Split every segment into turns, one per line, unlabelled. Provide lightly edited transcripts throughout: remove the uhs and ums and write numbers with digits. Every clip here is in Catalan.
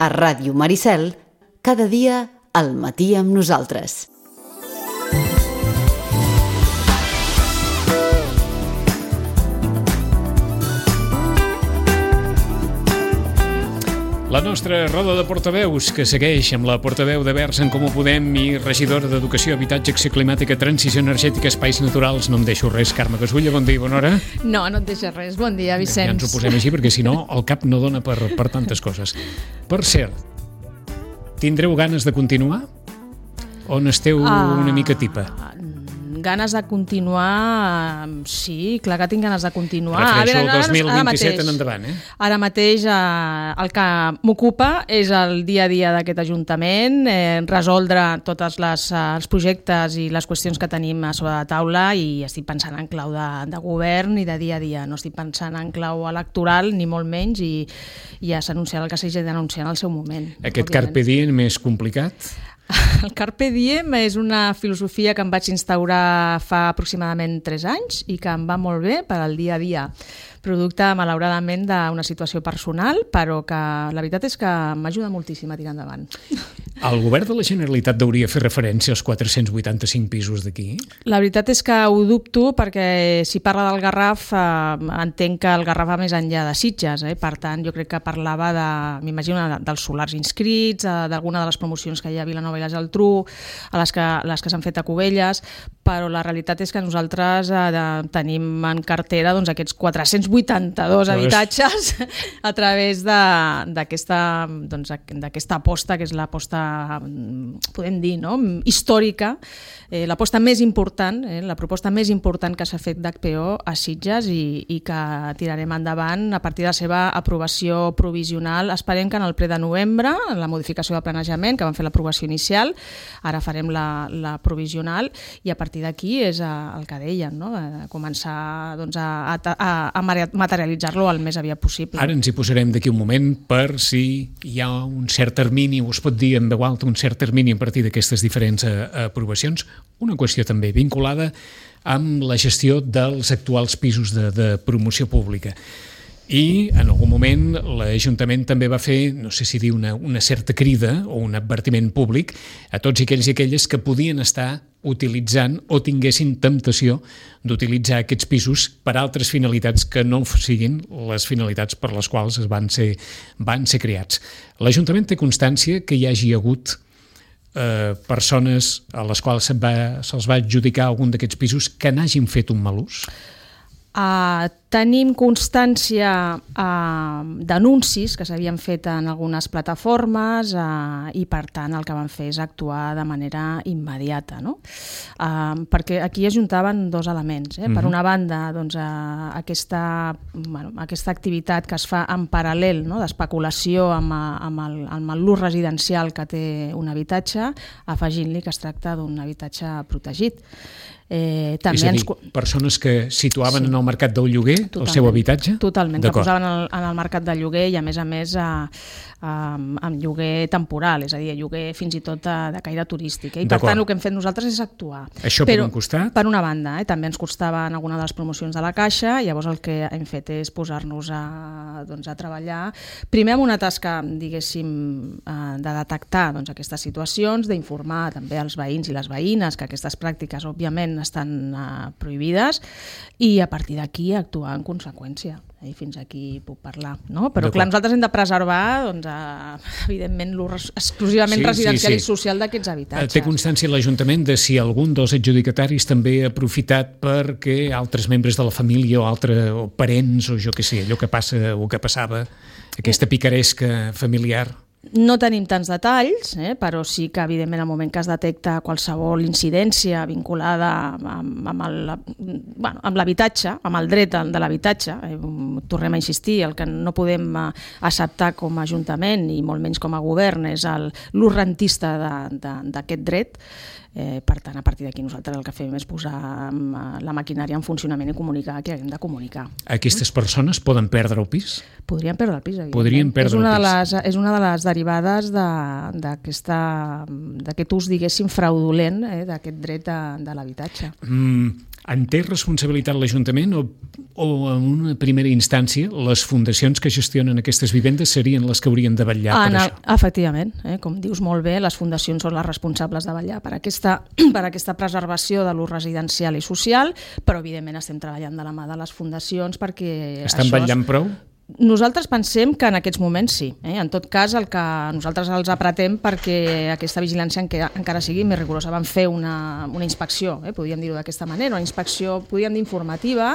A Ràdio Maricel, cada dia al matí amb nosaltres.
La nostra roda de portaveus, que segueix amb la portaveu de Verds en Comú Podem i regidora d'Educació, Habitatge, Acció Climàtica, Transició Energètica, Espais Naturals. No em deixo res, Carme Casulla, bon dia i bona hora.
No et deixes res. Bon dia, Vicenç.
Ja ens ho posem així, perquè si no, el cap no dona per tantes coses. Per cert, tindreu ganes de continuar? O n'esteu una mica tipa?
Ganes de continuar, sí, clar que tinc ganes de continuar.
Refereixo al 2027 en endavant,
Ara mateix el que m'ocupa és el dia a dia d'aquest Ajuntament, resoldre tots els projectes i les qüestions que tenim a sobre la taula, i estic pensant en clau de govern i de dia a dia. No estic pensant en clau electoral, ni molt menys, i ja s'anunciarà el que s'hagi d'anunciar en el seu moment.
Aquest Carpe Diem més complicat?
El Carpe Diem és una filosofia que em vaig instaurar fa aproximadament 3 anys i que em va molt bé per al dia a dia, producte, malauradament, d'una situació personal, però que la veritat és que m'ajuda moltíssim a tirar endavant.
El govern de la Generalitat hauria fer referència als 485 pisos d'aquí? La
veritat és que ho dubto, perquè si parla del Garraf, entenc que el Garraf va més enllà de Sitges, per tant, jo crec que parlava m'imagino, dels solars inscrits, d'alguna de les promocions que hi ha a Vilanova i la Geltrú, a les que s'han fet a Cubelles, però la realitat és que nosaltres tenim en cartera aquests 482 habitatges a través d'aquesta aposta, que és l'aposta, podem dir, històrica, l'aposta més important, la proposta més important que s'ha fet d'HPO a Sitges, i que tirarem endavant a partir de la seva aprovació provisional. Esperem que en el ple de novembre, en la modificació de planejament, que vam fer l'aprovació inicial, ara farem la provisional, i a partir d'aquí és el que deien, començar a materialitzar-lo el més aviat possible.
Ara ens hi posarem d'aquí un moment per si hi ha un cert termini, o es pot dir en veu alta, un cert termini a partir d'aquestes diferents aprovacions. Una qüestió també vinculada amb la gestió dels actuals pisos de promoció pública. I en algun moment l'Ajuntament també va fer, no sé si dir una certa crida o un advertiment públic a tots aquells i aquelles que podien estar utilitzant o tinguessin temptació d'utilitzar aquests pisos per altres finalitats que no siguin les finalitats per les quals van ser creats. L'Ajuntament té constància que hi hagi hagut persones a les quals se'ls va adjudicar algun d'aquests pisos que n'hagin fet un mal ús?
Tenim constància d'anuncis que s'havien fet en algunes plataformes, i per tant el que van fer és actuar de manera immediata, perquè aquí es juntaven dos elements. Per una banda, aquesta activitat que es fa en paral·lel, d'especulació amb l'ús residencial que té un habitatge, afegint-li que es tracta d'un habitatge protegit.
És a dir, persones que situaven en el mercat del lloguer el seu habitatge?
Totalment, que posaven en el mercat del lloguer, i a més amb lloguer temporal, és a dir, lloguer fins i tot de caire turístic. I per tant el que hem fet nosaltres és actuar.
Això per un costat?
Per una banda, també ens costava en alguna de les promocions de la Caixa, i llavors el que hem fet és posar-nos a treballar, primer amb una tasca, diguéssim, de detectar aquestes situacions, d'informar també als veïns i les veïnes que aquestes pràctiques, òbviament, estan prohibides, i a partir d'aquí actuar en conseqüència. I fins aquí puc parlar. Però clar, nosaltres hem de preservar, evidentment, l'ús exclusivament residencial i social d'aquests habitatges.
Té constància l'Ajuntament de si algun dels adjudicataris també ha aprofitat perquè altres membres de la família o parents, o jo què sé, allò que passa o que passava, aquesta picaresca familiar?
No tenim tants detalls, però sí que, evidentment, al moment que es detecta qualsevol incidència vinculada amb l'habitatge, amb el dret de l'habitatge, tornem a insistir, el que no podem acceptar com a Ajuntament i molt menys com a govern és l'ús rentista d'aquest dret. Per tant, a partir d'aquí nosaltres el que fem és posar la maquinària en funcionament i comunicar que hem de comunicar.
Aquestes persones poden perdre el pis?
Podrien perdre el pis, evidentment.
Podrien perdre el pis.
És una de les derivades d'aquest ús, diguéssim, fraudulent d'aquest dret de l'habitatge.
En té responsabilitat l'Ajuntament o en una primera instància les fundacions que gestionen aquestes vivendes serien les que haurien de vetllar per això?
Efectivament, com dius molt bé, les fundacions són les responsables de vetllar per aquesta preservació de l'ús residencial i social, però evidentment estem treballant de la mà de les fundacions perquè
estan vetllant prou?
Nosaltres pensem que en aquests moments sí. En tot cas, el que nosaltres els apretem perquè aquesta vigilància encara sigui més rigorosa. Vam fer una inspecció, podríem dir-ho d'aquesta manera, una inspecció, podríem dir, informativa.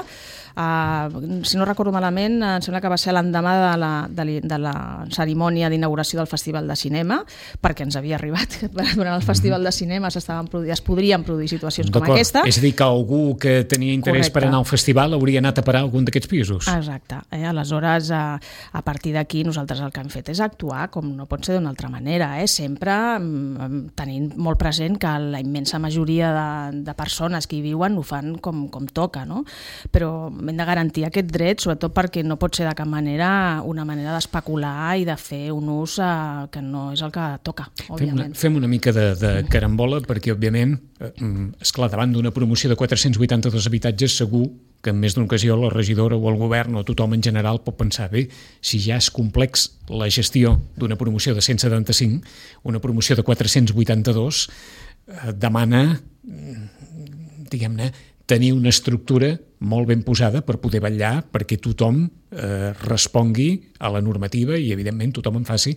Si no recordo malament, em sembla que va ser l'endemà de la cerimònia d'inauguració del Festival de Cinema, perquè ens havia arribat que durant el Festival de Cinema es podrien produir situacions com aquesta.
És a dir, que algú que tenia interès per anar al festival hauria anat a parar a algun d'aquests pisos.
Exacte. Aleshores, a partir d'aquí, nosaltres el que hem fet és actuar com no pot ser d'una altra manera, sempre tenint molt present que la immensa majoria de persones que hi viuen ho fan com toca, no? Però hem de garantir aquest dret, sobretot perquè no pot ser de cap manera una manera d'especular i de fer un ús que no és el que toca, òbviament.
Fem una mica de carambola perquè, òbviament, esclar, davant d'una promoció de 482 habitatges, segur que en més d'una ocasió la regidora o el govern o tothom en general pot pensar, bé, si ja és complex la gestió d'una promoció de 175, una promoció de 482 demana, diguem-ne, tenir una estructura molt ben posada per poder vetllar perquè tothom respongui a la normativa i, evidentment, tothom en faci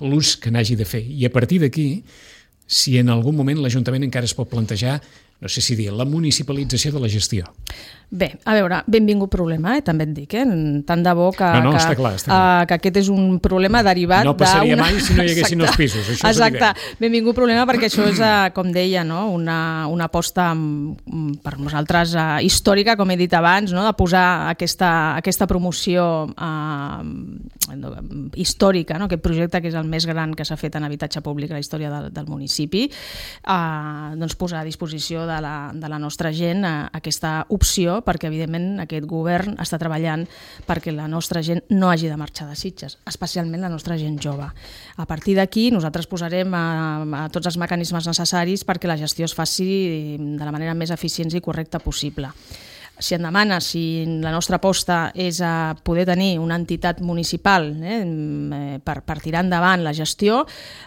l'ús que n'hagi de fer. I a partir d'aquí, si en algun moment l'Ajuntament encara es pot plantejar, no sé si dir, la municipalització de la gestió.
Bé, a veure, benvingut problema, també et dic, tant de bo que,
està clar.
Que aquest és un problema derivat
no passaria mai si no hi haguessin els pisos, això és
exacte.
Evident.
Benvingut problema perquè això és, com deia, no? una aposta per nosaltres històrica, com he dit abans, no? De posar aquesta promoció històrica, no? Aquest projecte que és el més gran que s'ha fet en habitatge públic a la història del municipi, doncs posar a disposició de la nostra gent aquesta opció, perquè evidentment aquest govern està treballant perquè la nostra gent no hagi de marxar de Sitges, especialment la nostra gent jove. A partir d'aquí nosaltres posarem a tots els mecanismes necessaris perquè la gestió es faci de la manera més eficient i correcta possible. Si em demana si la nostra aposta és a poder tenir una entitat municipal per tirar endavant la gestió,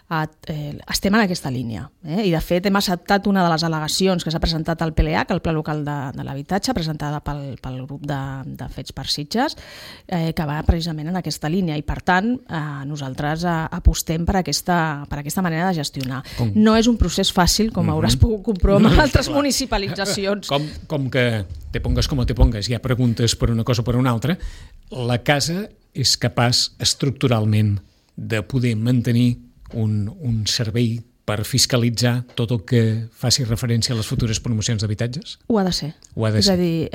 estem en aquesta línia. I de fet hem acceptat una de les al·legacions que s'ha presentat al PLH, el Pla Local de l'Habitatge, presentada pel grup de Fets per Sitges, que va precisament en aquesta línia i per tant nosaltres apostem per aquesta manera de gestionar. No és un procés fàcil, com hauràs pogut comprovar amb altres municipalitzacions.
Com que te pongas como te pongas, hi ha preguntes per una cosa o per una altra, la casa és capaç estructuralment de poder mantenir un servei per fiscalitzar tot el que faci referència a les futures promocions d'habitatges?
Ho ha de ser. És a dir,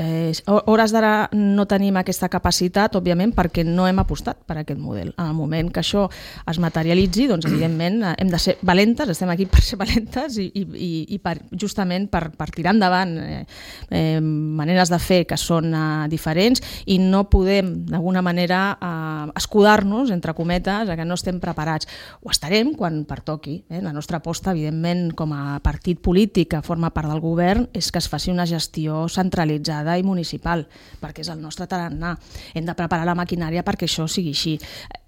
hores d'ara no tenim aquesta capacitat, òbviament, perquè no hem apostat per aquest model. En el moment que això es materialitzi, doncs, evidentment, hem de ser valentes, estem aquí per ser valentes i justament per tirar endavant maneres de fer que són diferents i no podem, d'alguna manera, escudar-nos, entre cometes, que no estem preparats. Ho estarem quan pertoqui. La nostra aposta, evidentment, com a partit polític que forma part del govern, és que es faci una gestió centralitzada i municipal, perquè és el nostre tarannà. Hem de preparar la maquinària perquè això sigui així.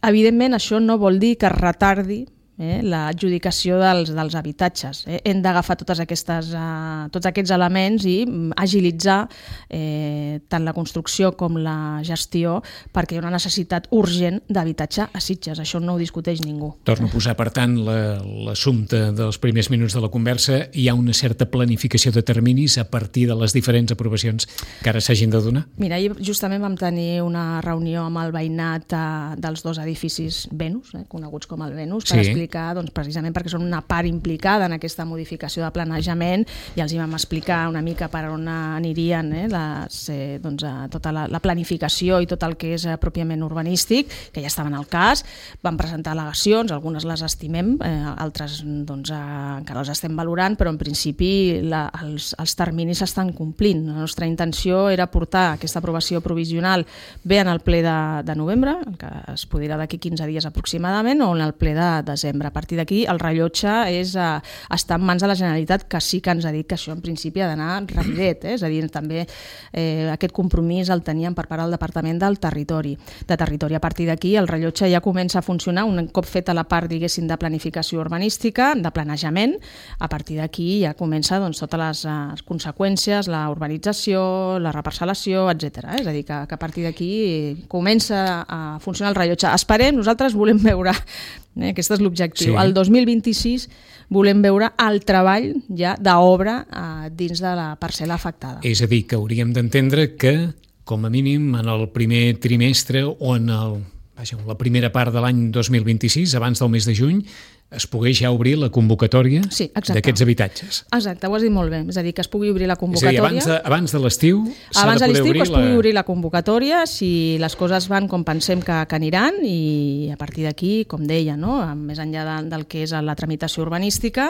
Evidentment, això no vol dir que es retardi l'adjudicació dels habitatges. Hem d'agafar tots aquests elements i agilitzar tant la construcció com la gestió perquè hi ha una necessitat urgent d'habitatge a Sitges. Això no ho discuteix ningú.
Torno a posar, per tant, l'assumpte dels primers minuts de la conversa. Hi ha una certa planificació de terminis a partir de les diferents aprovacions que ara s'hagin de donar?
Mira, ahir justament vam tenir una reunió amb el veïnat dels dos edificis Venus, coneguts com el Venus, per explicar, doncs, precisament perquè són una part implicada en aquesta modificació de planejament i els hi vam explicar una mica per on anirien tota la planificació i tot el que és pròpiament urbanístic, que ja estaven al cas. Vam presentar al·legacions, algunes les estimem, altres encara les estem valorant, però en principi els terminis s'estan complint. La nostra intenció era portar aquesta aprovació provisional bé en el ple de novembre, que es podrà d'aquí 15 dies aproximadament, o en el ple de desembre. setembre. A partir d'aquí el rellotge està en mans de la Generalitat, que sí que ens ha dit que això en principi ha d'anar rapidet, és a dir, també aquest compromís el teníem per part del Departament de Territori. A partir d'aquí el rellotge ja comença a funcionar un cop feta la part, diguéssim, de planificació urbanística, de planejament. A partir d'aquí ja comença totes les conseqüències, la urbanització, la reparcel·lació, etc. És a dir, que a partir d'aquí comença a funcionar el rellotge. Esperem, nosaltres volem veure, aquest és l'objectiu, el 2026 volem veure el treball ja d'obra dins de la parcel·la afectada.
És a dir, que hauríem d'entendre que, com a mínim, en el primer trimestre o en la primera part de l'any 2026, abans del mes de juny, es pogués ja obrir la convocatòria d'aquests habitatges.
Exacte, ho has dit molt bé. És a dir, que es pugui obrir la convocatòria.
És a dir, abans de l'estiu s'ha de poder obrir
que es pugui obrir la convocatòria, si les coses van com pensem que aniran, i a partir d'aquí, com deia, més enllà del que és la tramitació urbanística,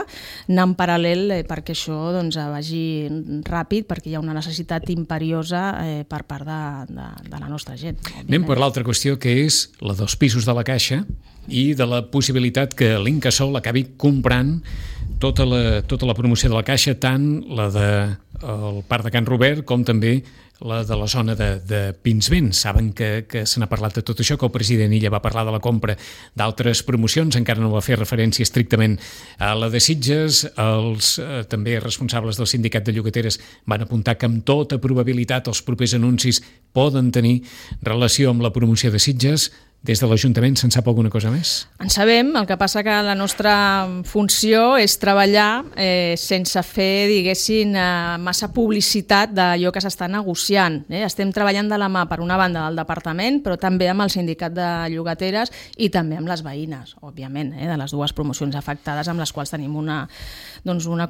anar en paral·lel perquè això vagi ràpid, perquè hi ha una necessitat imperiosa per part de la nostra gent.
Anem per l'altra qüestió, que és la dels pisos de la Caixa i de la possibilitat que l'Incasòl acabi comprant tota la promoció de la Caixa, tant la del Parc de Can Robert com també la de la zona de Pinsbens. Saben que se n'ha parlat de tot això, que el president Illa va parlar de la compra d'altres promocions, encara no va fer referència estrictament a la de Sitges. Els també responsables del sindicat de llogateres van apuntar que amb tota probabilitat els propers anuncis poden tenir relació amb la promoció de Sitges. Des de l'Ajuntament se'n sap alguna cosa més?
En sabem, el que passa que la nostra funció és treballar sense fer, diguéssim, massa publicitat d'allò que s'està negociant. Estem treballant de la mà, per una banda, del departament, però també amb el sindicat de llogateres i també amb les veïnes, òbviament, de les dues promocions afectades, amb les quals tenim una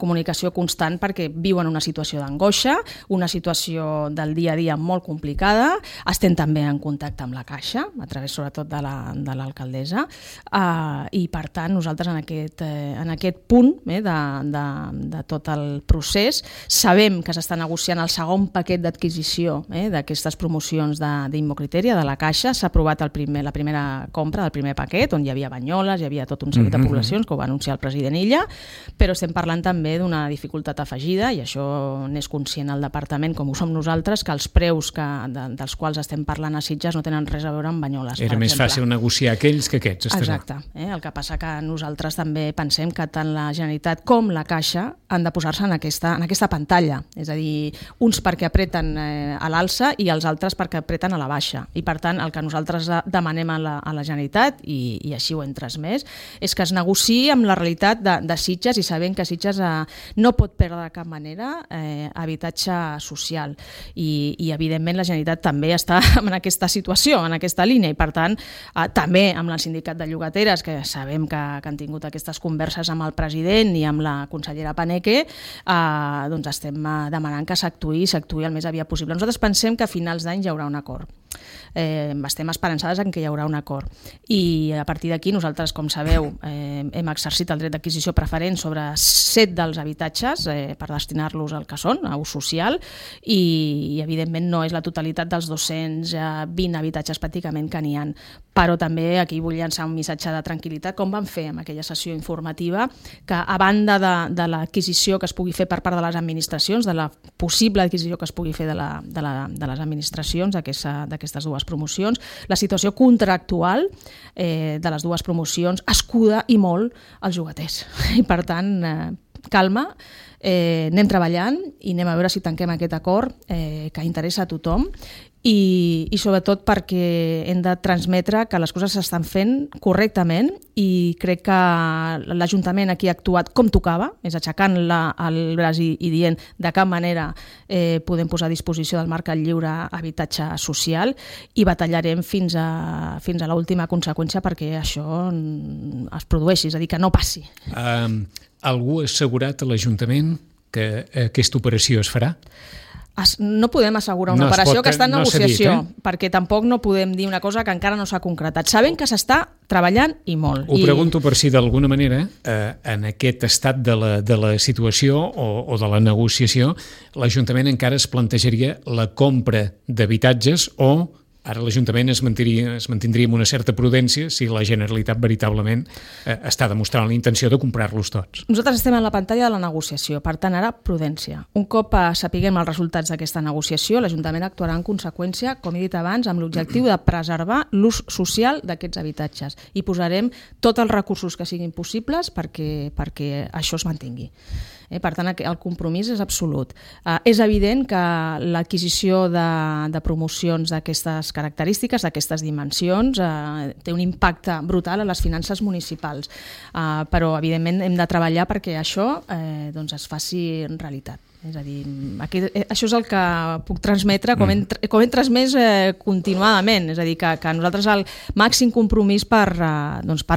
comunicació constant, perquè viuen una situació d'angoixa, una situació del dia a dia molt complicada. Estem també en contacte amb la Caixa, a través sobretot de l'alcaldessa, i per tant nosaltres en aquest punt de tot el procés sabem que s'està negociant el segon paquet d'adquisició d'aquestes promocions d'Immocritèria de la Caixa. S'ha aprovat la primera compra del primer paquet, on hi havia Banyoles, hi havia tot un seguit de poblacions, que ho va anunciar el president Illa, però estem parlant també d'una dificultat afegida, i això n'és conscient el departament, com ho som nosaltres, que els preus dels quals estem parlant a Sitges no tenen res a veure amb Banyoles.
Era més fàcil negociar aquells que aquests.
Exacte. El que passa que nosaltres també pensem que tant la Generalitat com la Caixa han de posar-se en aquesta pantalla. És a dir, uns perquè apreten a l'alça i els altres perquè apreten a la baixa. I per tant, el que nosaltres demanem a la Generalitat, i així ho hem transmès, és que es negociï amb la realitat de Sitges, i sabent que Sitges no pot perdre de cap manera habitatge social. I evidentment la Generalitat també està en aquesta situació, en aquesta línia, i per tant també amb el sindicat de llogateres, que sabem que han tingut aquestes converses amb el president i amb la consellera Paneque, estem demanant que s'actuï el més aviat possible. Nosaltres pensem que a finals d'any hi haurà un acord. Estem esperançades en que hi haurà un acord, i a partir d'aquí nosaltres, com sabeu, hem exercit el dret d'adquisició preferent sobre 7 dels habitatges per destinar-los al que són, a ús social, i evidentment no és la totalitat dels 220 habitatges pràcticament que n'hi ha, però també aquí vull llançar un missatge de tranquil·litat, com vam fer amb aquella sessió informativa, que a banda de l'adquisició que es pugui fer per part de les administracions, de la possible adquisició que es pugui fer de les administracions d'aquestes dues promocions, la situació contractual de les dues promocions escuda i molt els llogaters. I per tant, calma, anem treballant i anem a veure si tanquem aquest acord que interessa a tothom, i sobretot perquè hem de transmetre que les coses s'estan fent correctament, i crec que l'Ajuntament aquí ha actuat com tocava, és aixecant el braç i dient de cap manera podem posar a disposició del mercat lliure habitatge social, i batallarem fins a l'última conseqüència perquè això es produeixi, és a dir, que no passi.
Algú ha assegurat a l'Ajuntament que aquesta operació es farà?
No podem assegurar una operació que està en negociació, perquè tampoc no podem dir una cosa que encara no s'ha concretat. Sabem que s'està treballant i molt.
Ho pregunto per si d'alguna manera, en aquest estat de la situació o de la negociació, l'Ajuntament encara es plantejaria la compra d'habitatges o Ara l'Ajuntament es mantindria amb una certa prudència si la Generalitat veritablement està demostrant la intenció de comprar-los tots.
Nosaltres estem en la pantalla de la negociació, per tant, ara prudència. Un cop sapiguem els resultats d'aquesta negociació, l'Ajuntament actuarà en conseqüència, com he dit abans, amb l'objectiu de preservar l'ús social d'aquests habitatges i posarem tots els recursos que siguin possibles perquè això es mantingui. Per tant, el compromís és absolut. És evident que l'adquisició de promocions d'aquestes característiques, d'aquestes dimensions, té un impacte brutal a les finances municipals, però evidentment hem de treballar perquè això es faci realitat. És a dir, això és el que puc transmetre com hem transmès continuadament, és a dir, que nosaltres el màxim compromís per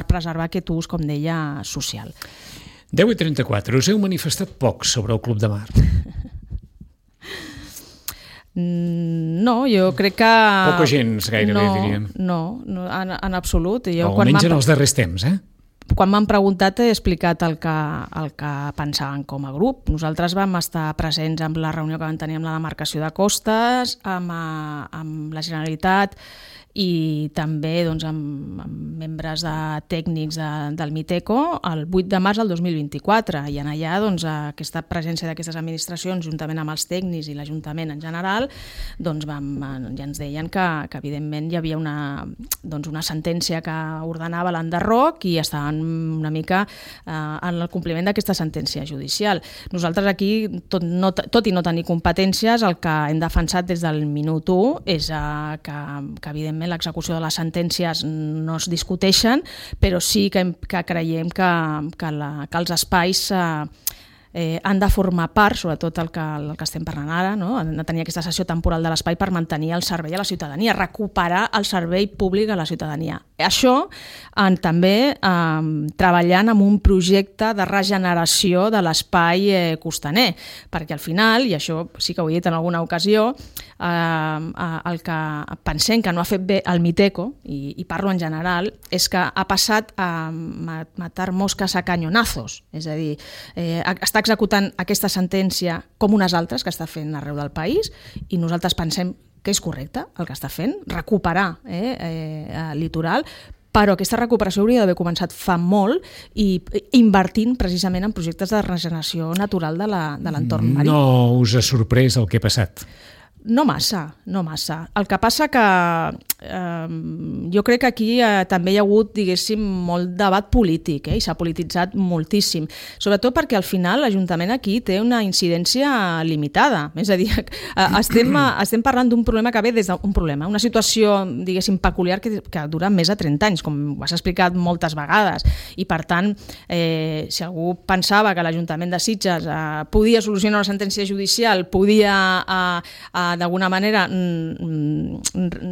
preservar aquest ús, com deia, social.
10:34. Us heu manifestat poc sobre el Club de Mar.
No, jo crec que...
Poca gens, gairebé, diríem.
No, en absolut.
Almenys en els darrers temps,
Quan m'han preguntat he explicat el que pensaven com a grup. Nosaltres vam estar presents en la reunió que vam tenir amb la demarcació de costes, amb la Generalitat i també amb membres tècnics del Miteco el 8 de març del 2024 i en allà aquesta presència d'aquestes administracions juntament amb els tècnics i l'Ajuntament en general ja ens deien que evidentment hi havia una sentència que ordenava l'enderroc i estaven una mica en el compliment d'aquesta sentència judicial. Nosaltres aquí, tot i no tenir competències, el que hem defensat des del minut 1 és que evidentment l'execució de les sentències no es discuteixen, però sí que creiem que els espais han de formar part, sobretot el que estem parlant ara, no? Han de tenir aquesta cessió temporal de l'espai per mantenir el servei a la ciutadania, recuperar el servei públic a la ciutadania. Això també treballant amb un projecte de regeneració de l'espai costaner, perquè al final, i això sí que ho he dit en alguna ocasió, el que pensem que no ha fet bé el Miteco, i parlo en general, és que ha passat a matar mosques a cañonazos, és a dir, està executant aquesta sentència com unes altres que està fent arreu del país i nosaltres pensem que és correcte el que està fent, recuperar el litoral, però aquesta recuperació hauria d'haver començat fa molt i invertint precisament en projectes de regeneració natural de l'entorn marí.
No us ha sorprès el que ha passat?
No massa. El que passa que jo crec que aquí també hi ha hagut, diguéssim, molt debat polític i s'ha polititzat moltíssim, sobretot perquè al final l'Ajuntament aquí té una incidència limitada, és a dir, estem parlant d'un problema que ve des d'un problema, una situació, diguéssim, peculiar que dura més de 30 anys, com ho has explicat moltes vegades, i per tant, si algú pensava que l'Ajuntament de Sitges podia solucionar una sentència judicial, podia d'alguna manera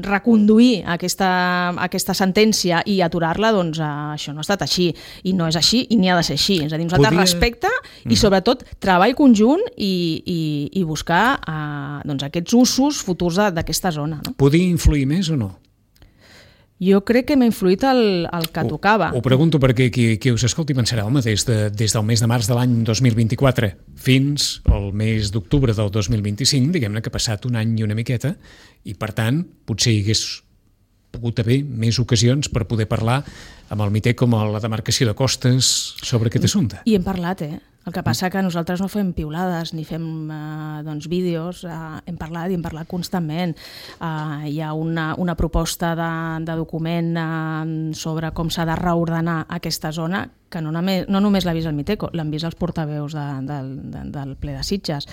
reconduir aquesta sentència i aturar-la, doncs això no ha estat així, i no és així i ni ha de ser així. És a dir, nosaltres respecte i sobretot treball conjunt i buscar aquests usos futurs d'aquesta zona.
Podia influir més o no?
Jo crec que m'ha influït el que tocava.
Ho pregunto perquè qui us escolti pensarà, home, des del mes de març de l'any 2024 fins al mes d'octubre del 2025, diguem-ne que ha passat un any i una miqueta, i per tant potser hi hagués pogut haver més ocasions per poder parlar amb el Miteco, com a la demarcació de costes sobre aquest assumpte.
I hem parlat, El que passa que nosaltres no fem piulades ni fem vídeos, hem parlat i hem parlat constantment. Hi ha una proposta de document sobre com s'ha de reordenar aquesta zona que no només l'ha vist el Miteco, l'han vist els portaveus del ple de Sitges.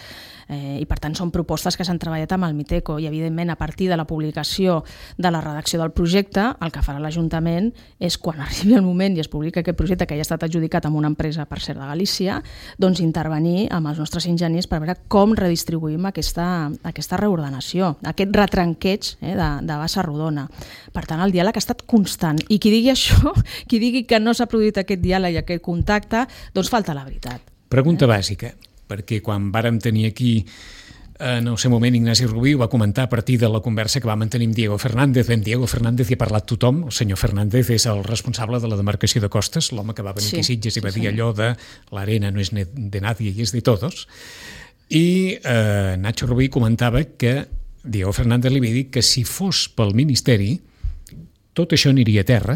I per tant són propostes que s'han treballat amb el Miteco i evidentment a partir de la publicació de la redacció del projecte el que farà l'Ajuntament és quan arribi el moment i es publica aquest projecte que ja ha estat adjudicat amb una empresa, per cert, de Galícia, doncs intervenir amb els nostres enginyers per veure com redistribuïm aquesta reordenació, aquest retranqueig de bassa rodona. Per tant, el diàleg ha estat constant i qui digui això, qui digui que no s'ha produït aquest diàleg i aquest contacte, doncs falta la veritat.
Pregunta bàsica, perquè quan vàrem tenir aquí en el seu moment Ignasi Rubí ho va comentar a partir de la conversa que va mantenir amb Diego Fernández. En Diego Fernández hi ha parlat tothom, el senyor Fernández és el responsable de la demarcació de costes, l'home que va venir aquí a Sitges i va dir allò de l'arena no és de nadie i és de todos. I Nacho Rubí comentava que Diego Fernández li havia dit que si fos pel Ministeri tot això aniria a terra,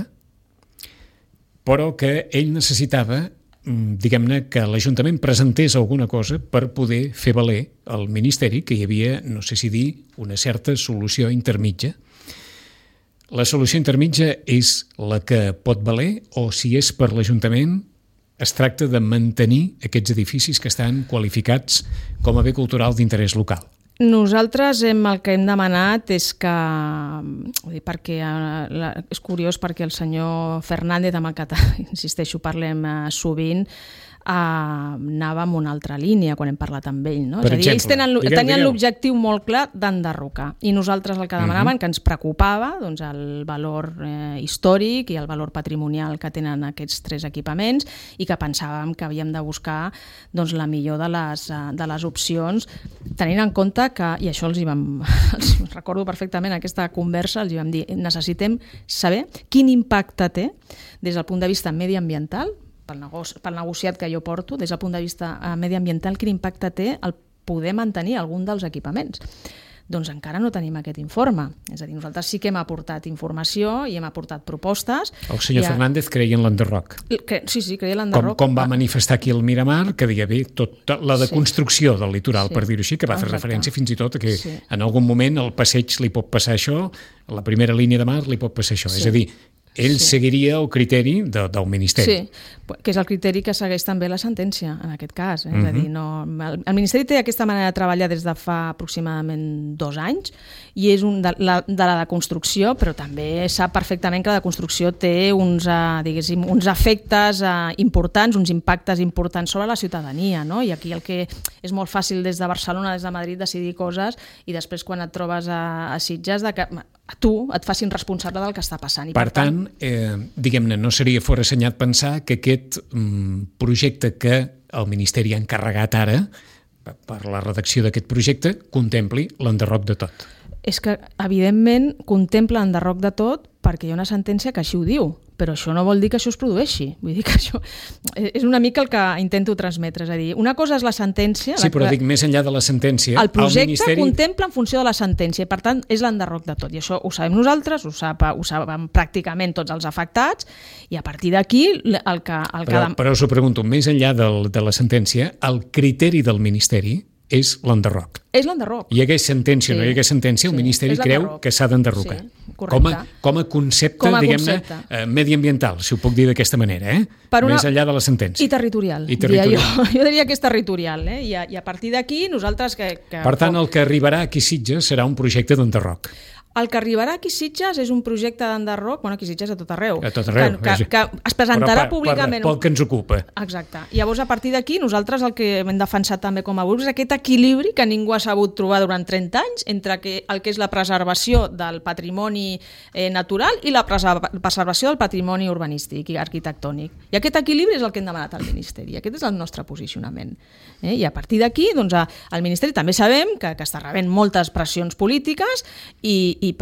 però que ell necessitava, diguem-ne, que l'Ajuntament presentés alguna cosa per poder fer valer al Ministeri que hi havia, no sé si dir, una certa solució intermitja. La solució intermitja és la que pot valer, o si és per l'Ajuntament es tracta de mantenir aquests edificis que estan qualificats com a bé cultural d'interès local.
Nosaltres el que hem demanat és que, perquè és curiós perquè el senyor Fernández, amb el que insisteixo parlem sovint, anava en una altra línia quan hem parlat amb ell. No? És a dir, ells tenien l'objectiu molt clar d'enderrocar, i nosaltres el que demanaven, que ens preocupava, doncs, el valor històric i el valor patrimonial que tenen aquests 3 equipaments, i que pensàvem que havíem de buscar doncs, la millor de les opcions, tenint en compte que, i això els recordo perfectament aquesta conversa, els vam dir, necessitem saber quin impacte té des del punt de vista mediambiental, pel negociat que jo porto, des del punt de vista mediambiental, quin impacte té el poder mantenir algun dels equipaments. Doncs encara no tenim aquest informe. És a dir, nosaltres sí que hem aportat informació i hem aportat propostes.
El senyor Fernández creia en l'enderroc.
Sí, creia en l'enderroc.
Com va manifestar aquí al Miramar, que deia bé, tota la deconstrucció del litoral, per dir-ho així, que va fer referència fins i tot a que en algun moment al passeig li pot passar això, a la primera línia de mar li pot passar això. És a dir, ell seguiria el criteri del Ministeri.
Sí, que és el criteri que segueix també la sentència, en aquest cas. És a dir, el Ministeri té aquesta manera de treballar des de fa aproximadament 2 anys, i és de la deconstrucció, però també sap perfectament que la deconstrucció té uns efectes importants, uns impactes importants sobre la ciutadania, no? I aquí el que és molt fàcil des de Barcelona, des de Madrid, decidir coses, i després quan et trobes a Sitges, que a tu et facin responsable del que està passant.
Per tant, diguem-ne, no seria forassenyat pensar que aquest projecte que el Ministeri ha encarregat ara per la redacció d'aquest projecte contempli l'enderroc de tot.
És que, evidentment, contempla l'enderroc de tot perquè hi ha una sentència que així ho diu, però això no vol dir que això es produeixi. Vull dir que això és una mica el que intento transmetre. És a dir, una cosa és la sentència...
Sí, però dic, més enllà de la sentència...
El projecte contempla en funció de la sentència, i per tant és l'enderroc de tot. I això ho sabem nosaltres, ho saben pràcticament tots els afectats, i a partir d'aquí el que...
Però us ho pregunto, més enllà de la sentència, el criteri del Ministeri és l'enderroc.
És l'enderroc.
Hi hagués sentència o no hi hagués sentència, el Ministeri creu que s'ha d'enderrocar. Com a concepte, diguem-ne, mediambiental, si ho puc dir d'aquesta manera, més enllà de la sentència.
I territorial. Jo diria que és territorial, i a partir d'aquí nosaltres...
Per tant, el que arribarà aquí a Sitges serà un projecte d'enderroc.
El que arribarà aquí a Sitges és un projecte d'enderroc, aquí a Sitges a tot arreu.
A tot arreu.
Que es presentarà públicament.
Pel que ens ocupa.
Exacte. Llavors, a partir d'aquí, nosaltres el que hem defensat també com a grup és aquest equilibri que ningú ha sabut trobar durant 30 anys entre el que és la preservació del patrimoni natural i la preservació del patrimoni urbanístic i arquitectònic. I aquest equilibri és el que hem demanat al Ministeri. Aquest és el nostre posicionament. I a partir d'aquí, doncs, el Ministeri també sabem que està rebent moltes pressions polítiques i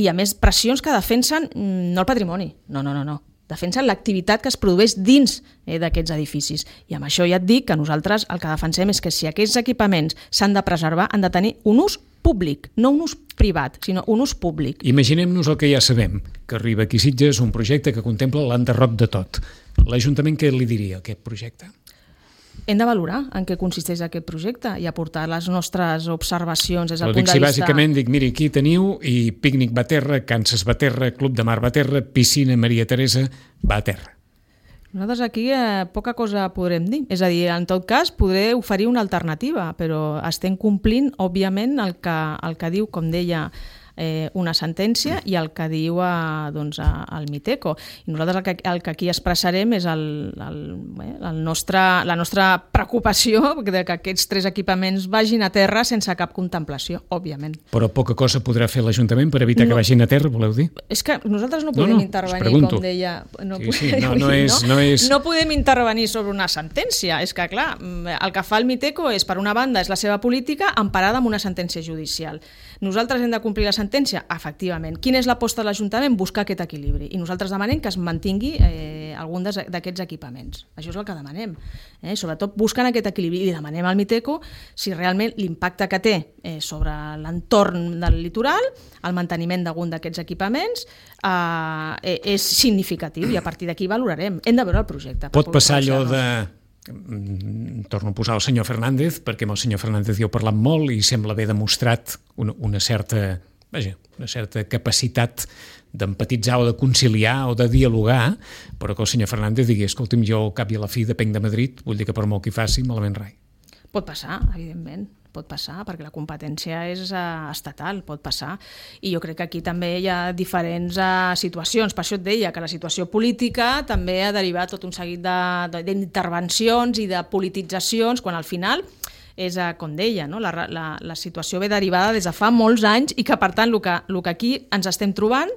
a més pressions que defensen no el patrimoni, no. Defensen l'activitat que es produeix dins d'aquests edificis. I amb això ja et dic que nosaltres el que defensem és que si aquests equipaments s'han de preservar, han de tenir un ús públic, no un ús privat, sinó un ús públic.
Imaginem-nos el que ja sabem, que arriba aquí a Sitges un projecte que contempla l'enderroc de tot. L'Ajuntament què li diria a aquest projecte?
Hem de valorar en què consisteix aquest projecte i aportar les nostres observacions des del punt de vista...
Bàsicament dic, miri, aquí teniu i pícnic va a terra, Kansas va a terra, Club de Mar va a terra, piscina Maria Teresa va a terra.
Nosaltres aquí poca cosa podrem dir. És a dir, en tot cas, podré oferir una alternativa, però estem complint, òbviament, el que diu, com deia, una sentència i el que diu el Miteco. I nosaltres el que aquí expressarem és la nostra preocupació que aquests 3 equipaments vagin a terra sense cap contemplació, òbviament.
Però poca cosa podrà fer l'Ajuntament per evitar que vagin a terra, voleu dir?
És que nosaltres no podem intervenir, com deia... No podem intervenir sobre una sentència. És que, clar, el que fa el Miteco és, per una banda, és la seva política emparada amb una sentència judicial. Nosaltres hem de complir la sentència sentència? Efectivament. Quina és l'aposta de l'Ajuntament? Buscar aquest equilibri. I nosaltres demanem que es mantingui algun d'aquests equipaments. Això és el que demanem. Sobretot buscant aquest equilibri. I demanem al Miteco si realment l'impacte que té sobre l'entorn del litoral, el manteniment d'algun d'aquests equipaments, és significatiu i a partir d'aquí valorarem. Hem de veure el projecte.
Pot passar allò de... Torno a posar el senyor Fernández, perquè amb el senyor Fernández hi heu parlat molt i sembla haver demostrat una certa capacitat d'empatitzar o de conciliar o de dialogar, però que el senyor Fernández digui, escolti'm, jo al cap i a la fi depenc de Madrid, vull dir que per molt que hi faci, malament rai.
Pot passar, evidentment. Pot passar, perquè la competència és estatal, pot passar. I jo crec que aquí també hi ha diferents situacions. Per això et deia que la situació política també ha derivat tot un seguit d'intervencions i de polititzacions, quan al final és, com deia, no? La situació ve derivada des de fa molts anys i que, per tant, el que aquí ens estem trobant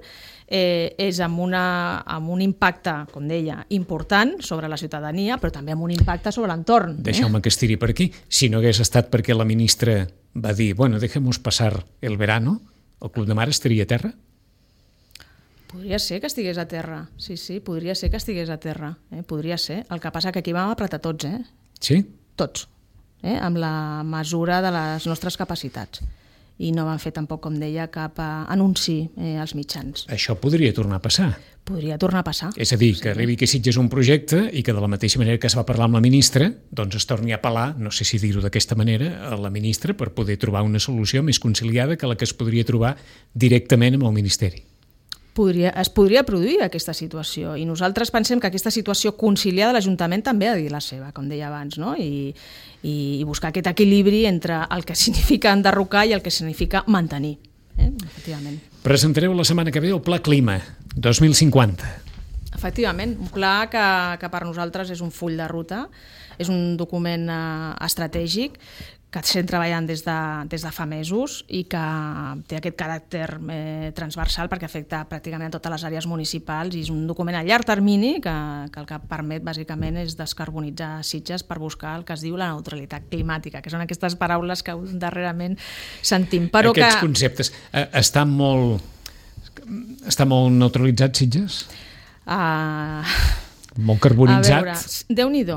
és amb un impacte, com deia, important sobre la ciutadania, però també amb un impacte sobre l'entorn.
Deixeu-me que estiri per aquí. Si no hagués estat perquè la ministra va dir, bueno, dejemos pasar el verano, el Club de Mar estaria a terra?
Podria ser que estigués a terra, sí, podria ser que estigués a terra, podria ser. El que passa que aquí vam apretar tots,
Sí?
Tots, amb la mesura de les nostres capacitats. I no van fer tampoc, com deia, cap anunci als mitjans.
Això podria tornar a passar.
Podria tornar a passar.
És a dir, que arribi que Sitges un projecte i que de la mateixa manera que es va parlar amb la ministra, doncs es torni a apel·lar, no sé si dir-ho d'aquesta manera, a la ministra per poder trobar una solució més conciliada que la que es podria trobar directament amb el Ministeri.
Es podria produir aquesta situació i nosaltres pensem que aquesta situació conciliada l'Ajuntament també ha de dir la seva, com deia abans, no? I buscar aquest equilibri entre el que significa enderrocar i el que significa mantenir, efectivament.
Presentareu la setmana que ve el Pla Clima 2050.
Efectivament, un pla que per nosaltres és un full de ruta, és un document estratègic que estem treballant des de fa mesos i que té aquest caràcter transversal perquè afecta pràcticament a totes les àrees municipals i és un document a llarg termini que el que permet bàsicament és descarbonitzar Sitges per buscar el que es diu la neutralitat climàtica, que són aquestes paraules que darrerament sentim. Però
aquests conceptes estan molt neutralitzats Sitges? Molt carbonitzat.
A veure, Déu-n'hi-do,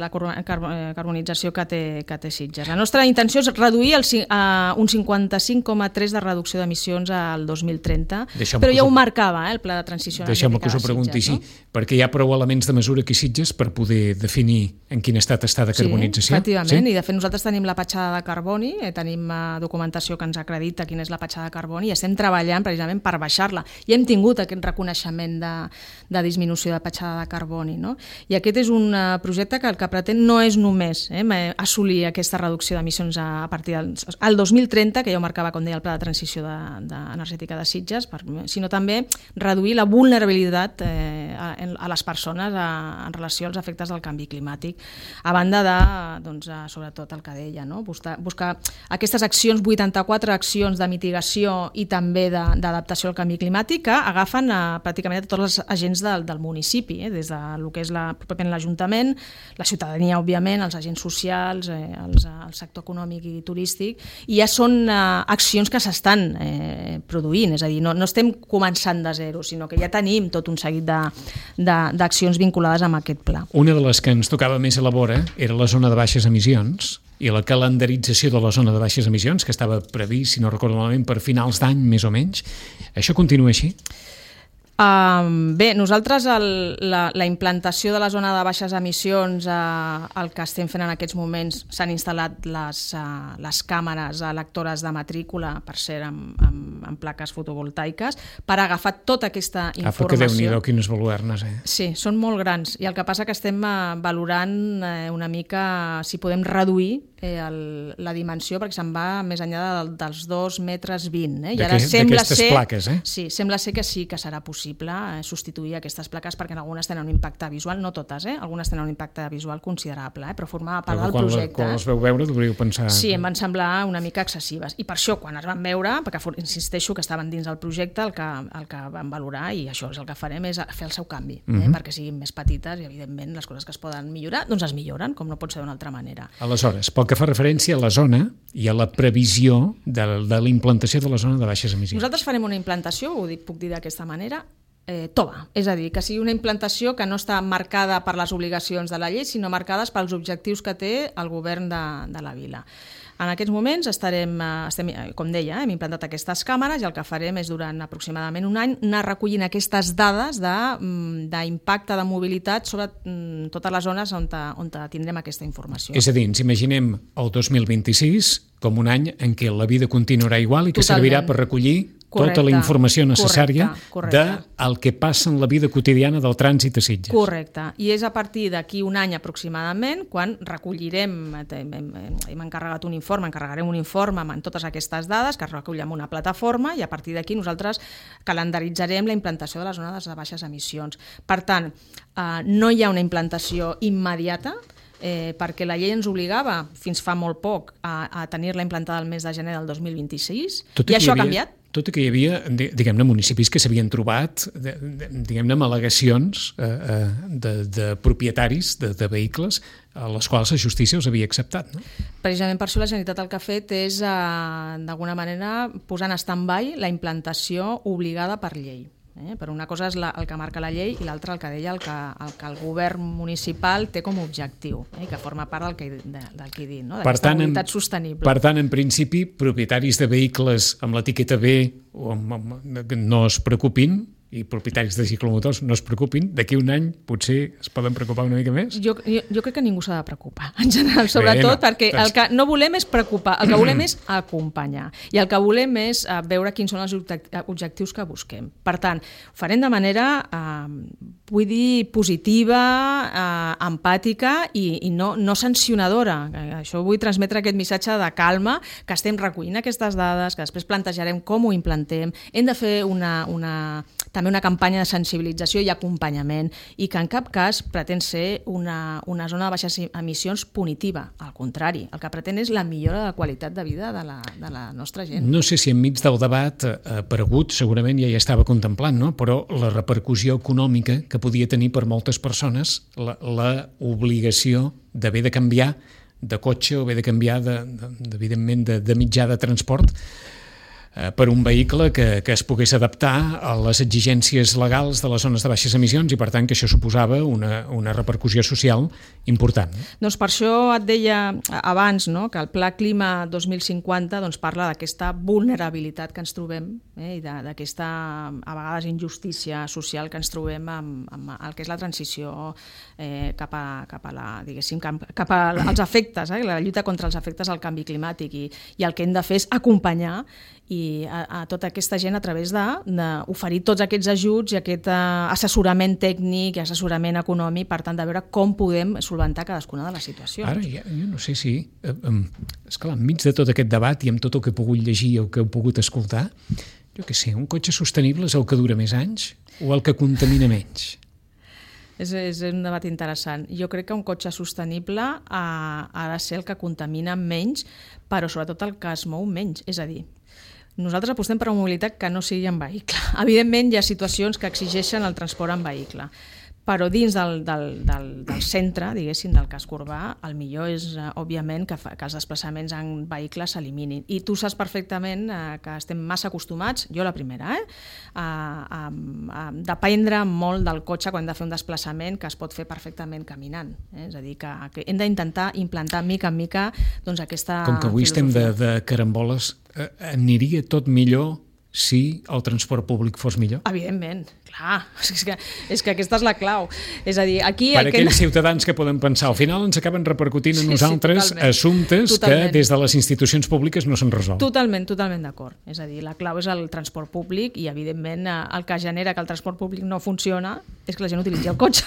la carbonització que té Sitges. La nostra intenció és reduir un 55,3% de reducció d'emissions al 2030, però ja ho marcava el Pla de Transició Energètica de Sitges.
Deixeu-me que us ho pregunti així, perquè hi ha prou elements de mesura aquí a Sitges per poder definir en quin estat està de carbonització.
Sí, efectivament, i de fet nosaltres tenim la petjada de carboni, tenim documentació que ens acredita quina és la petjada de carboni i estem treballant precisament per baixar-la. I hem tingut aquest reconeixement de disminució de petjada de carboni. No? I aquest és un projecte que el que pretén no és només assolir aquesta reducció d'emissions a partir del 2030, que ja ho marcava, com deia, el Pla de Transició Energètica de Sitges, sinó també reduir la vulnerabilitat a les persones en relació als efectes del canvi climàtic, a banda de, sobretot el que deia, no? Buscar aquestes accions, 84 accions de mitigació i també d'adaptació al canvi climàtic que agafen pràcticament a tots els agents del municipi, des del que és pròpiament l'Ajuntament, la ciutadania, òbviament, els agents socials, el sector econòmic i turístic, i ja són accions que s'estan produint, és a dir, no estem començant de zero, sinó que ja tenim tot un seguit d'accions vinculades amb aquest pla.
Una de les que ens tocava més a la vora era la zona de baixes emissions i la calendarització de la zona de baixes emissions, que estava previst, si no recordo malament, per finals d'any, més o menys. Això continua així?
Bé, nosaltres la implantació de la zona de baixes emissions, el que estem fent en aquests moments, s'han instal·lat les càmeres lectores de matrícula, per ser amb plaques fotovoltaiques, per agafar tota aquesta informació.
Que Déu-n'hi-do, quines baluernes,
Sí, són molt grans, i el que passa que estem valorant una mica si podem reduir la dimensió, perquè se'n va més enllà dels 2,20 metres. I ara
d'aquestes plaques,
Sí, sembla ser que sí que serà possible substituir aquestes plaques perquè algunes tenen un impacte visual, no totes, algunes tenen un impacte visual considerable, però formava part del projecte.
Quan les veu veure, devríeu pensar...
Sí, em van semblar una mica excessives. I per això, quan es van veure, perquè insisteixo que estaven dins del projecte, el que van valorar, i això és el que farem, és fer el seu canvi, perquè siguin més petites i, evidentment, les coses que es poden millorar, doncs es milloren, com no pot ser d'una altra manera.
Aleshores, pel que fa referència a la zona, i a la previsió de la implantació de la zona de baixes emissions?
Nosaltres farem una implantació, puc dir d'aquesta manera, tova, és a dir, que sigui una implantació que no està marcada per les obligacions de la llei, sinó marcades pels objectius que té el govern de la vila. En aquests moments estem, com deia, hem implantat aquestes càmeres i el que farem és durant aproximadament un any anar recollint aquestes dades d'impacte de mobilitat sobre totes les zones on tindrem aquesta informació.
És a dir, ens imaginem el 2026 com un any en què la vida continuarà igual i que servirà per recollir tota la informació necessària del que passa en la vida quotidiana del trànsit a Sitges.
Correcte. I és a partir d'aquí un any aproximadament quan recollirem, hem encarregarem un informe amb totes aquestes dades que es recollirem en una plataforma i a partir d'aquí nosaltres calendaritzarem la implantació de la zona de baixes emissions. Per tant, no hi ha una implantació immediata, perquè la llei ens obligava fins fa molt poc a tenir-la implantada el mes de gener del 2026 i això ha canviat.
Tot i que hi havia, diguem-ne, municipis que s'havien trobat, diguem-ne, amb al·legacions de propietaris de vehicles a les quals la justícia els havia acceptat, no?
Precisament per això la Generalitat el que ha fet és, d'alguna manera, posar en stand-by la implantació obligada per llei. Per una cosa és el que marca la llei i l'altra el que deia el que el govern municipal té com a objectiu, que forma part del que he dit, no? D'aquesta mobilitat sostenible.
Per tant, en principi, propietaris de vehicles amb l'etiqueta B no es preocupin, i propietaris de ciclomotors no es preocupin, d'aquí un any potser es poden preocupar una mica més?
Jo crec que ningú s'ha de preocupar, en general, sobretot perquè el que no volem és preocupar, el que volem és acompanyar i el que volem és veure quins són els objectius que busquem. Per tant, ho farem de manera, vull dir, positiva, empàtica i no sancionadora. Això vull transmetre aquest missatge de calma, que estem recollint aquestes dades, que després plantejarem com ho implantem. Hem de fer també una campanya de sensibilització i acompanyament i que en cap cas pretén ser una zona de baixes emissions punitiva. Al contrari, el que pretén és la millora de la qualitat de vida de la nostra gent.
No sé si enmig del debat ha aparegut, segurament ja hi estava contemplant, no? Però la repercussió econòmica que podia tenir per moltes persones la obligació d'haver de canviar de cotxe o haver de canviar, evidentment, de mitjà de transport per un vehicle que es pogués adaptar a les exigències legals de les zones de baixes emissions i, per tant, que això suposava una repercussió social important.
Doncs per això et deia abans, no?, que el Pla Clima 2050 parla d'aquesta vulnerabilitat que ens trobem i d'aquesta, a vegades, injustícia social que ens trobem amb el que és la transició cap als efectes, la lluita contra els efectes del canvi climàtic i el que hem de fer és acompanyar i a tota aquesta gent a través d'oferir tots aquests ajuts i aquest assessorament tècnic i assessorament econòmic, per tant, de veure com podem solventar cadascuna de les situacions.
Ara, jo no sé si... Esclar, enmig de tot aquest debat i amb tot el que he pogut llegir i el que he pogut escoltar, jo què sé, un cotxe sostenible és el que dura més anys o el que contamina menys?
És un debat interessant. Jo crec que un cotxe sostenible ha de ser el que contamina menys, però sobretot el que es mou menys, és a dir, nosaltres apostem per una mobilitat que no sigui en vehicle. Evidentment, hi ha situacions que exigeixen el transport en vehicle, però dins del centre, diguéssim, del casc urbà, el millor és, òbviament, que els desplaçaments en vehicles s'eliminin. I tu saps perfectament que estem massa acostumats, jo la primera, a dependre molt del cotxe quan hem de fer un desplaçament que es pot fer perfectament caminant. És a dir, que hem d'intentar implantar mica en mica aquesta filosofia.
Com que avui estem de caramboles, aniria tot millor si el transport públic fos millor?
Evidentment, clar, és que aquesta és la clau. És a dir, aquí...
Per aquells ciutadans que poden pensar, al final ens acaben repercutint a nosaltres assumptes que des de les institucions públiques no s'han resolt.
Totalment d'acord. És a dir, la clau és el transport públic i, evidentment, el que genera que el transport públic no funciona és que la gent utilitzi el cotxe,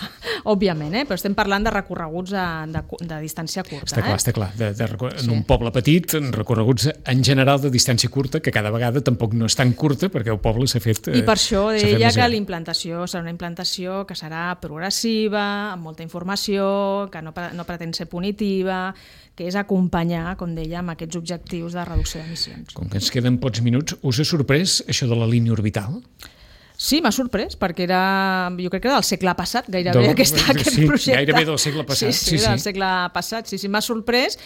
òbviament, però estem parlant de recorreguts de distància curta.
Està clar. En un poble petit, recorreguts en general de distància curta, que cada vegada tampoc no és tan curta perquè el poble s'ha fet...
I per això deia que la implantació serà una implantació que serà progressiva, amb molta informació, que no pretén ser punitiva, que és acompanyar, com deia, amb aquests objectius de reducció d'emissions.
Com que ens queden pocs minuts, us ha sorprès això de la línia orbital?
Sí, m'ha sorprès, perquè jo crec que era del segle passat, gairebé, aquest projecte.
Gairebé del segle passat.
Sí, del segle passat, sí, m'ha sorprès,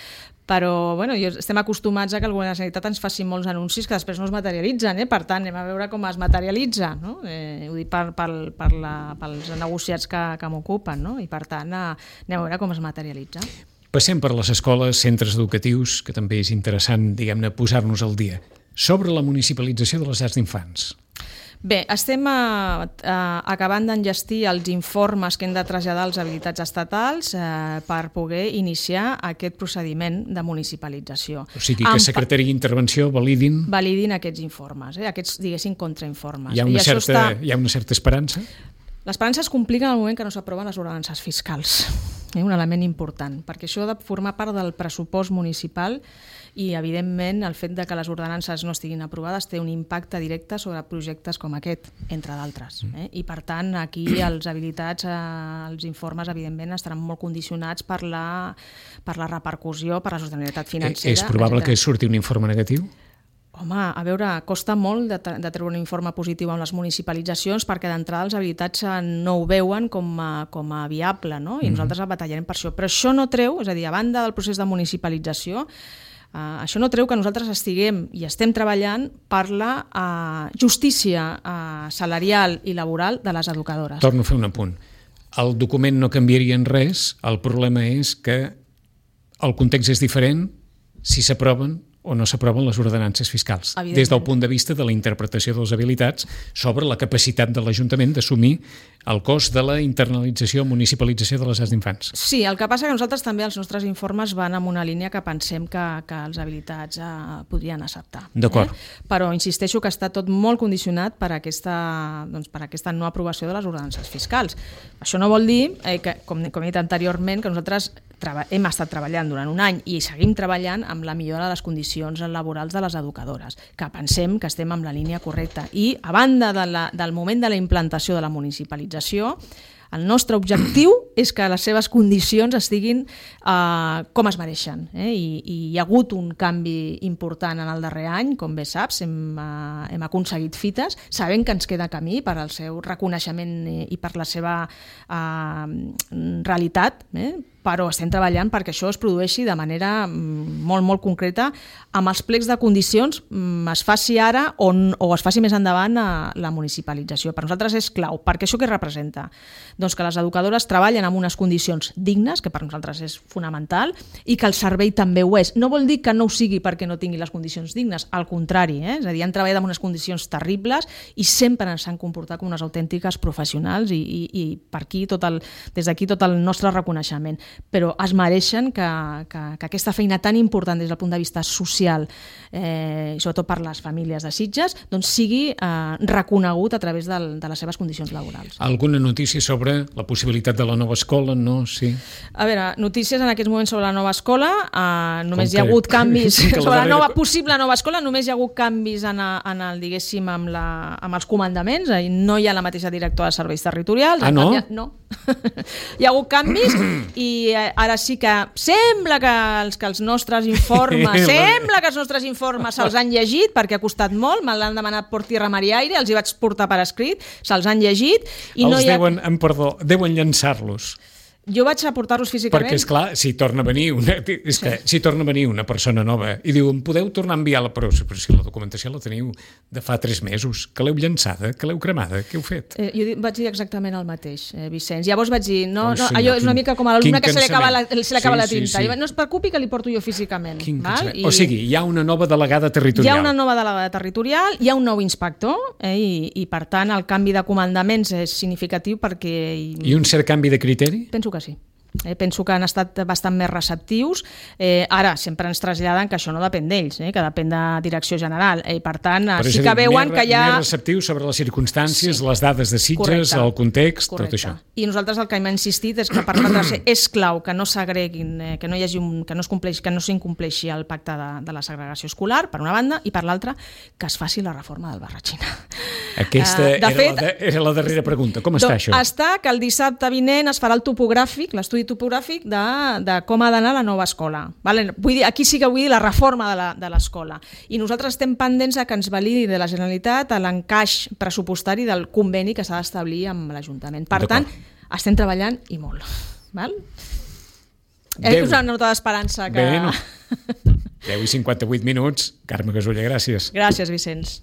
Però estem acostumats a que el govern de la Generalitat ens faci molts anuncis que després no es materialitzen, per tant anem a veure com es materialitza, no? Ho dic pels negociats que m'ocupen, no? I per tant anem a veure com es materialitza.
Passem per les escoles, centres educatius, que també és interessant, diguem-ne, posar-nos al dia. Sobre la municipalització de les llars d'infants.
Bé, estem acabant d'enllestir els informes que hem de traslladar als habilitats estatals per poder iniciar aquest procediment de municipalització.
O sigui que Secretaria d'Intervenció validin
aquests informes, aquests, diguéssim, contrainformes.
Hi ha una certa esperança?
L'esperança es complica en el moment que no s'aproven les ordenances fiscals. Un element important, perquè això ha de formar part del pressupost municipal i, evidentment, el fet de que les ordenances no estiguin aprovades té un impacte directe sobre projectes com aquest, entre d'altres. I, per tant, aquí els habilitats, els informes, evidentment, estaran molt condicionats per la repercussió, per la sostenibilitat financera.
És probable que surti un informe negatiu?
Home, a veure, costa molt de treure un informe positiu amb les municipalitzacions perquè d'entrada els habilitats no ho veuen com a viable, no? I nosaltres batallarem per això. Però això no treu, és a dir, a banda del procés de municipalització, això no treu que nosaltres estiguem i estem treballant per la justícia salarial i laboral de les educadores.
Torno a fer un apunt. El document no canviaria en res, el problema és que el context és diferent si s'aproven o no s'aproven les ordenances fiscals, des del punt de vista de la interpretació de les habilitats sobre la capacitat de l'Ajuntament d'assumir el cost de la internalització o municipalització de les llars d'infants.
Sí, el que passa que nosaltres també els nostres informes van en una línia que pensem que els habilitats podrien acceptar.
D'acord.
Però insisteixo que està tot molt condicionat per aquesta no aprovació de les ordenances fiscals. Això no vol dir, que, com he dit anteriorment, que nosaltres hem estat treballant durant un any i seguim treballant amb la millora de les condicions laborals de les educadores, que pensem que estem en la línia correcta. I, a banda del moment de la implantació de la municipalització, el nostre objectiu és que les seves condicions estiguin com es mereixen. I hi ha hagut un canvi important en el darrer any, com bé saps, hem aconseguit fites, sabent que ens queda camí per al seu reconeixement i per la seva realitat, però estem treballant perquè això es produeixi de manera molt, molt concreta amb els plecs de condicions, es faci ara o es faci més endavant la municipalització. Per nosaltres és clau, perquè això què representa? Doncs que les educadores treballen en unes condicions dignes, que per nosaltres és fonamental, i que el servei també ho és. No vol dir que no ho sigui perquè no tingui les condicions dignes, al contrari, és a dir, han treballat en unes condicions terribles i sempre s'han comportat com unes autèntiques professionals i per aquí des d'aquí tot el nostre reconeixement. Però es mereixen que aquesta feina tan important des del punt de vista social, i sobretot per les famílies de Sitges, doncs sigui reconegut a través de les seves condicions laborals.
Alguna notícia sobre la possibilitat de la nova escola? No? Sí.
A veure, notícies en aquests moments sobre la nova escola, només hi ha hagut canvis sobre la possible nova escola, només hi ha hagut canvis diguéssim, amb els comandaments, no hi ha la mateixa directora de serveis territorials.
Ah, no?
No. Hi ha hagut canvis i ara sí que sembla que els nostres informes se'ls han llegit perquè ha costat molt, me l'han demanat per tierra, mar i aire, els hi vaig portar per escrit, se'ls han llegit i
deuen llançar-los.
Jo vaig aportar-los físicament.
Perquè, esclar, si torna a venir una persona nova i diu, em podeu tornar a enviar però si la documentació la teniu de fa 3 mesos, que l'heu llançada, que l'heu cremada, què heu fet?
Jo vaig dir exactament el mateix, Vicenç. Llavors vaig dir, allò és una mica com a l'alumne que se li acaba la tinta. Sí. No es preocupi que li porto jo físicament.
O sigui, hi ha una nova delegada territorial.
Hi ha una nova delegada territorial, hi ha un nou inspector i per tant el canvi de comandaments és significatiu perquè...
I un cert canvi de criteri?
Penso que sí. Penso que han estat bastant més receptius. Ara, sempre ens traslladen que això no depèn d'ells, que depèn de direcció general. Per tant, sí que veuen que hi ha...
Més receptius sobre les circumstàncies, les dades de Sitges, el context, tot això.
I nosaltres el que hem insistit és que per nosaltres és clau que no s'agreguin, que no s'incompleixi el pacte de la segregació escolar, per una banda, i per l'altra, que es faci la reforma del Barratxina.
Aquesta era la darrera pregunta. Com està això?
Està que el dissabte vinent es farà el topogràfic, l'estudi topogràfic de com ha d'anar la nova escola. Vull dir, aquí sí que vull dir la reforma de l'escola. I nosaltres estem pendents que ens validi de la Generalitat l'encaix pressupostari del conveni que s'ha d'establir amb l'Ajuntament. Per tant, estem treballant i molt. És una nota d'esperança que...
10:58 minuts. Carme Gasulla, gràcies.
Gràcies, Vicenç.